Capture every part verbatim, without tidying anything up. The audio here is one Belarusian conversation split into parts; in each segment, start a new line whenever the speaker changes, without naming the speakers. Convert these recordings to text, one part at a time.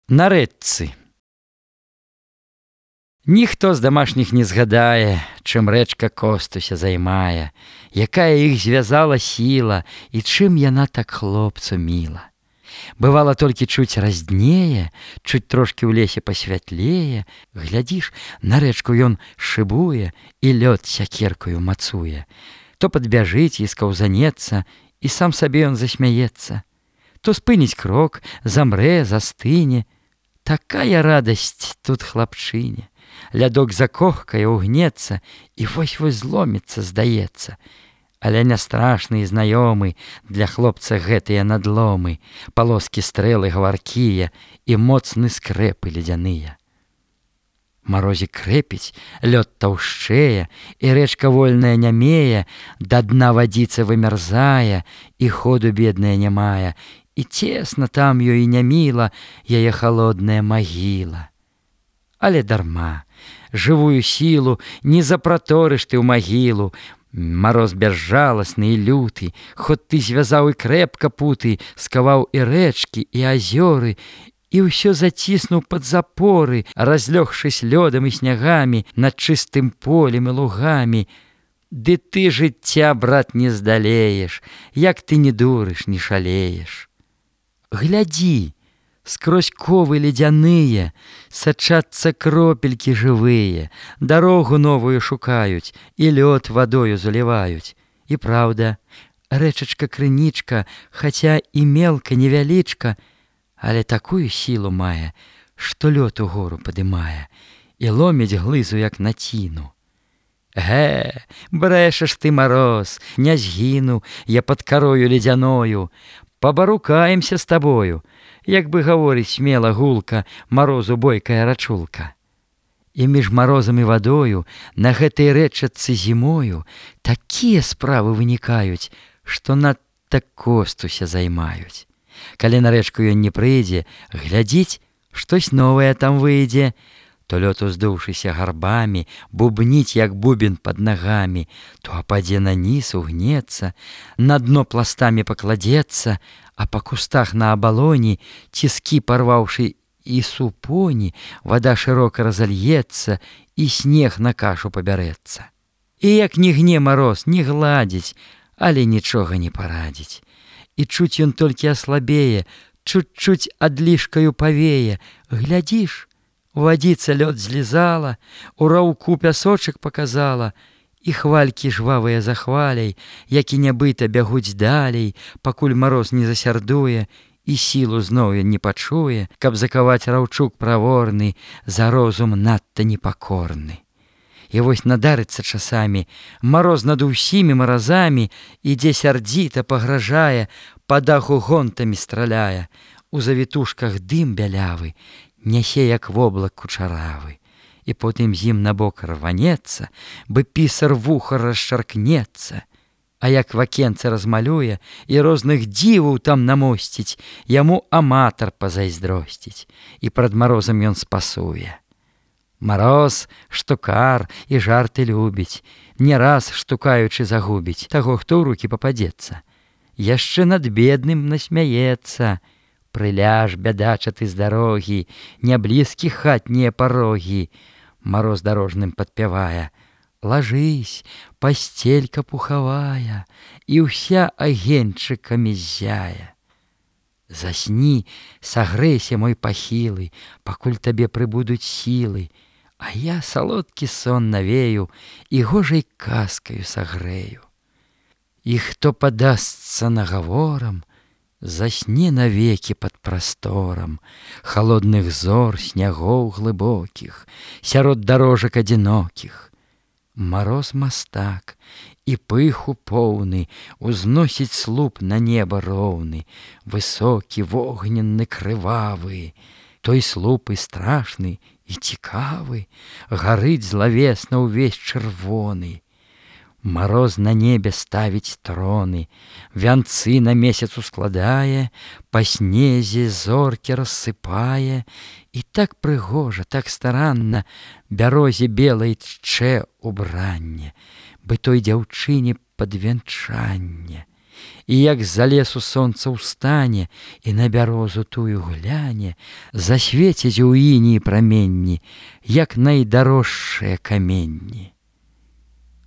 На рэчцы. Ніхто з дамашніх не згадае, чым рэчка Костуся займае, якая іх звязала сіла і чым яна так хлопцу міла. Бывала толькі чуць разднее, чуць трошкі ў лесе пасвятлее, глядзіш, на рэчку ён шыбуе і лёд сякеркаю мацуе. То падбяжыць і скаўзанецца, і сам сабе ён засмяецца. То спыніць крок, замрэ, застыне. Такая радасць тут хлапчыне. Лядок закохкае, угнецца, і вось-вось зломіцца, здаецца. Але не страшны і знаёмы для хлопца гэтыя надломы, палоскі стрэлы гаваркія і моцны скрэпы ледзяныя. Марозік крэпіць, лёд таўшчэе, і рэчка вольная нямее, да дна вадзіца вымярзае, і ходу бедная нямая, і цесна там ёй няміла яе халодная магіла. Але дарма, жывую сілу не запраторыш ты ў магілу. Мароз бязжаласны і люты, хоць ты звязаў і крэпка путы, скаваў і рэчкі, і азёры, і ўсё заціснуў пад запоры, разлёгшись лёдам і снягамі над чыстым полем і лугамі. Ды ты жыцця, брат, не здалееш, як ты не дурыш, не шалееш. Глядзі, скрозь ковы ледзяныя сачацца кропелькі жывыя, дарогу новую шукаюць і лёд вадою заліваюць. І праўда, рэчачка-крынічка, хаця і мелка невялічка, але такую сілу мае, што лёд угору падымае і ломіць глызу, як націну. Гэ, брэшаш ты, Мароз, не згіну я пад карою ледзяною, пабарукаемся з табою, як бы гаворыць смела гулка Марозу бойкая рачулка. І між марозам і вадою на гэтай рэчачцы зімою такія справы вынікаюць, што надта Костуся займаюць. Калі на рэчку ён не прыйдзе, глядзіць, штось новае там выйдзе, то лёд, уздуўшыся гарбамі, бубніць, як бубен пад нагамі, то ападзе на ніз, угнецца, на дно пластамі пакладзецца, а па кустах на абалоні, ціскі парваўшы і супоні, вада шырока разальецца, і снег на кашу пабярэцца. І як ні гне Мароз, ні гладзіць, але нічога не парадзіць. І чуць ён толькі аслабее, чуць-чуць адлішкаю павее. Глядзіш, вадзіца лёд злізала, у раўку пясочак паказала, і хвалькі жвавыя за хваляй, які нябыта бягуць далей, пакуль Мароз не засярдуе і сілу зноў ён не пачуе, каб закаваць раўчук праворны, за розум надта непакорны. І вось надарыцца часамі, Мароз над усімі маразамі ідзе сярдзіта, пагражае, па даху гонтамі страляе, у завітушках дым бялявы, нясе як воблак кучаравы, і потым з ім набок рванецца, бы пісар вуха расшаркнецца, а як вакенце размалюе і розных дзіваў там намосціць, яму аматар пазайздросціць, і прад Марозам ён спасуе. Мароз штукар і жарты любіць, не раз штукаючы загубіць таго, хто ў рукі пападзецца. Яшчэ над бедным насмяецца. Прыляж, бядача ты з дарогі, няблізкі хатнія парогі. Мароз дарожным падпявае: лажысь, пасцелька пухавая, і ўся агеньчыкамі ззяе. Засні, сагрэйся, мой пахілы, пакуль табе прыбудуць сілы, а я салодкі сон навею і гожай казкаю сагрэю. І хто падасца нагаворам, засне навекі пад прасторам халодных зор, снягоў глыбокіх, сярод дарожак адзінокіх. Мароз мастак і пыху поўны узносіць слуп на неба роўны, высокі, вогненны, крывавы. Той слуп і страшны, і цікавы, гарыць злавесна ўвесь чырвоны. Мароз на небе ставіць троны, вянцы на месяц ускладае, па снезе зоркі рассыпае, і так прыгожа, так старанна бярозе белай тчэ убранне, бы той дзяўчыне падвянчанне. і як з-за лесу сонца ўстане і на бярозу тую гляне, засвеціць у ініі праменні, як найдарожшыя каменні.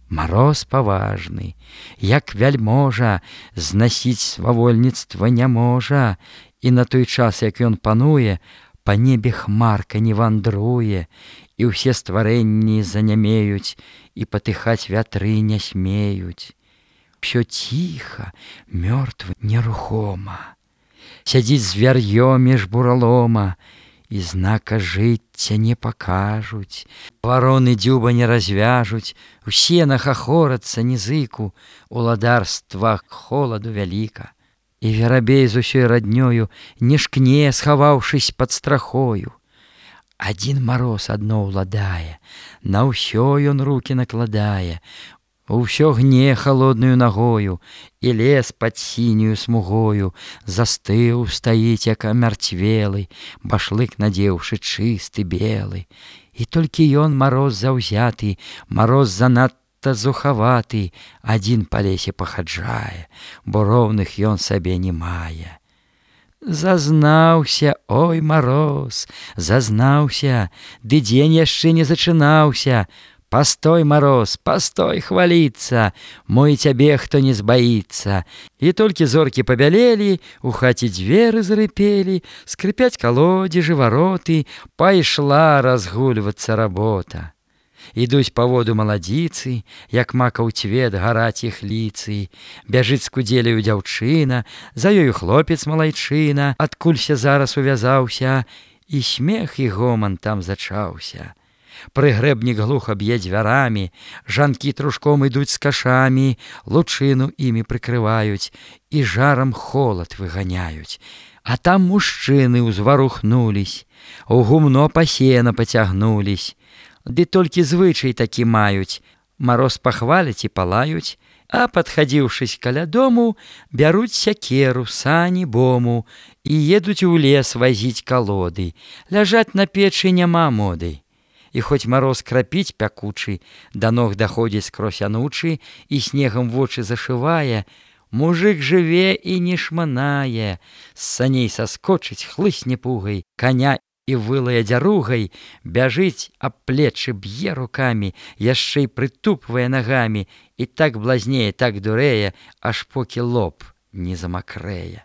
Мароз паважны, як вяльможа, знасіць свавольніцтва не можа, і на той час, як ён пануе, па небе хмарка не вандруе, і ўсе стварэнні занямеюць, і патыхаць вятры не смеюць. Всё ціха, мёртва, нерухома. Сядзіць звяр'ё між буралома, і знака жыцця не пакажуць. Вароны дзюба не развяжуць, усе нахахорацца нізыку, уладарства холаду вяліка. І верабей з усёй раднёю не шкне, схаваўшись пад страхою. Адзін мароз адно ўладае, на ўсё ён рукі накладае, усё гне халоднаю нагою, і лес пад сінюю смугою застыў, стаіць, як амярцвелы, башлык надзеўшы чысты белы. І толькі ён, мароз заўзяты, мароз занадта зухаваты, адзін па лесе пахаджае, бо роўных ён сабе не мае. Зазнаўся, ой, мароз, зазнаўся, ды дзень яшчэ не зачынаўся. Пастой, мароз, пастой хваліцца, мой цябе хто не збаіцца. І толькі зоркі пабялелі, у хаце дзверы зарыпелі, скрыпяць калодзежы, вароты, пайшла разгульвацца работа. Ідуць па воду маладзіцы, як макаў цвет гараць іх ліцы. Бяжыць з кудзеляю дзяўчына, за ёю хлопец малайчына, адкулься зараз увязаўся, і смех і гоман там зачаўся. Прыгрэбнік глуха б'е дзвярамі, жанкі трушком ідуць з кашамі, лучыну імі прыкрываюць і жарам холад выганяюць. А там мужчыны ўзварухнулись, у гумно пасена пацягнулись. Ды толькі звычай такі маюць, мароз пахваляць і палаюць, а падхадзіўшись каля дому, бяруць сякеру, сані, бому і едуць у лес вазіць калоды. Ляжаць на печы няма моды. І хоць мароз крапіць пякучы, да ног даходзіць скрозь анучы і снегам вочы зашывае, мужык жыве і не шманае, з саней саскочыць, хлысне пугай, каня і вылае дзяругай, бяжыць, аб плечы б'е рукамі, яшчэ й прытупвае нагамі, і так блазнее, так дурэе, аж покі лоб не замакрэе.